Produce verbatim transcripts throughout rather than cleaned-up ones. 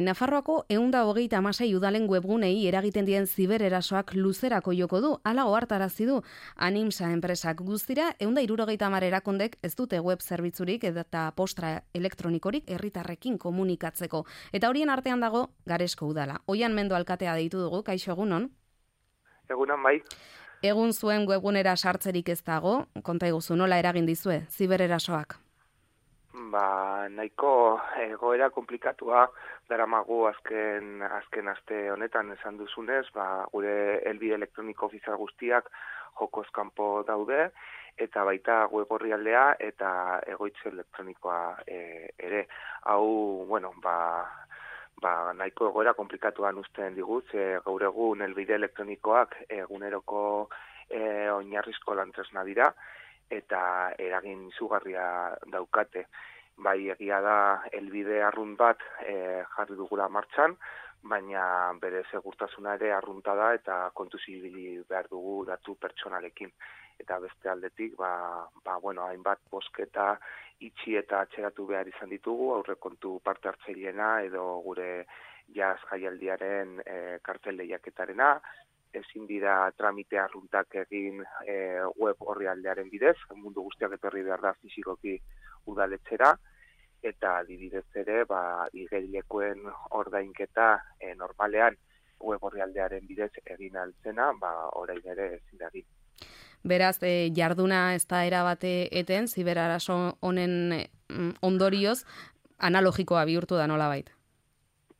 Nafarroako ehun eta hogeita hamasei udalen webgunei eragiten dien zibererasoak luzerako joko du, hala ohartarazi du Animsa enpresak. Guztira ehun eta hirurogeita hamar erakundek ez dute web zerbitzurik eta postra elektronikorik herritarrekin komunikatzeko. Eta horien artean dago Garesko udala. Oian Mendo alkatea deitu dugu, kaixo egunon? Egunon bai. Egun zuen webgunera sartzerik ez dago, konta iguzu nola eragin dizue zibererasoak? Ba, nahiko egoera komplikatua daramagu azken azken aste honetan esan duzunez, ba, gure helbide elektroniko ofizial guztiak jokoz kanpo daude, eta baita web orrialdea eta egoitza elektronikoa e, ere. Hau, bueno, ba, ba, nahiko egoera komplikatuan uzten digut, ze gaur egun helbide elektronikoak eguneroko e, oinarrizko lantresna dira, eta eragin izugarria daukate. Bai, egia da helbide arrunt bat e, jarri dugula martxan, baina bere segurtasuna ere arrunta da eta kontuz ibili behar dugu datu pertsonalekin. Eta beste aldetik, ba, ba, bueno, hainbat bosketa itxi eta atxeratu behar izan ditugu, aurrekontu parte hartzaileena edo gure jazz jaialdiaren e, kartel lehiaketarena, ezin dira tramite arruntak egin e, web orrialdearen bidez, mundu guztiak etorri behar da fizikoki udaletxera, eta adibidez ere, ba, igerilekoen ordainketa e, normalean web orrialdearen bidez egin altzena, ba, orain ere ezin da egin. Beraz, e, jarduna ez da erabate eten, ziberaraso honen ondorioz, analogikoa bihurtu da nolabait?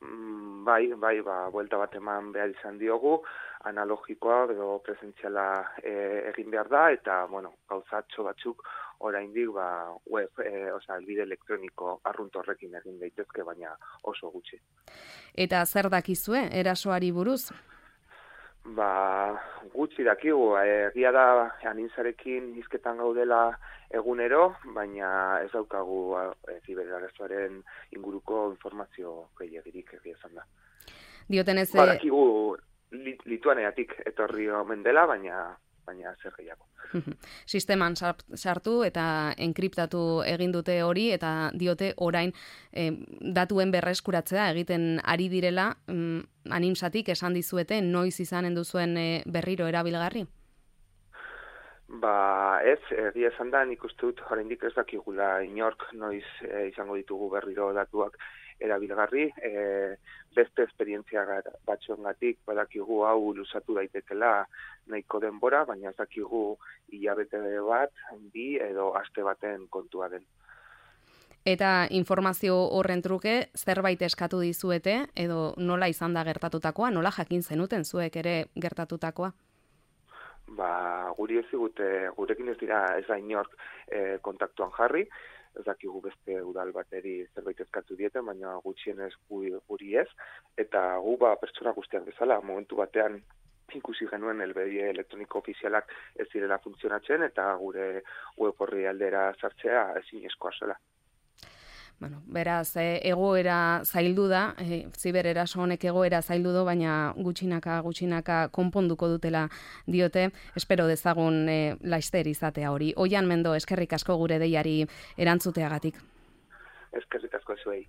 Mm, bai, bai, ba, buelta bat eman behar izan diogu, analogikoa edo presentziala e, egin behar da, eta, bueno, gauzatxo batzuk oraindik ba, web, e, oza, elbide elektroniko arrunt horrekin egin daitezke, baina oso gutxi. Eta zer dakizue, erasoari buruz? Ba, gutxi dakigu, egia da Animsarekin hizketan gaudela egunero, baina ez daukagu e, ziberarasoaren inguruko informazio gehiagirik egia esan da. Diotenez, ba, dakigu Lituaniatik etorri omen dela, baina baina zer gehiago. Sisteman sartu eta enkriptatu egin dute hori, eta diote orain eh, datuen berreskuratzea egiten ari direla, mm, Animsatik esan dizuete noiz izanen duzuen eh, berriro erabilgarri? Ba, ez, egia esan da, nik uste dut oraindik ez dakigula inork noiz e, izango ditugu berriro datuak erabilgarri, e, beste esperientzia batzuengatik badakigu hau luzatu daitekela nahiko denbora, baina ez dakigu hilabete bat, bi edo aste baten kontua den. Eta informazio horren truke zerbait eskatu dizuete, edo nola izan da gertatutakoa, nola jakin zenuten zuek ere gertatutakoa? Ba, guri ez digute, gurekin ez dira ez da inork e, kontaktuan jarri, ez dakigu beste udal bateri zerbait eskatu dieten, baina gutxienez guri ez, eta gu ba, pertsona guztiak bezala, momentu batean ikusi genuen helbide elektroniko ofizialak ez direla funtzionatzen, eta gure web orrialdera sartzea ezinezkoa zela. Bueno, beraz, e, egoera zaildu da, e, zibereraso honek egoera zaildu du, baina gutxinaka, gutxinaka konponduko dutela diote, espero dezagun e, laister izatea hori. Oian Mendo, eskerrik asko gure deiari erantzuteagatik. Eskerrik asko zuei.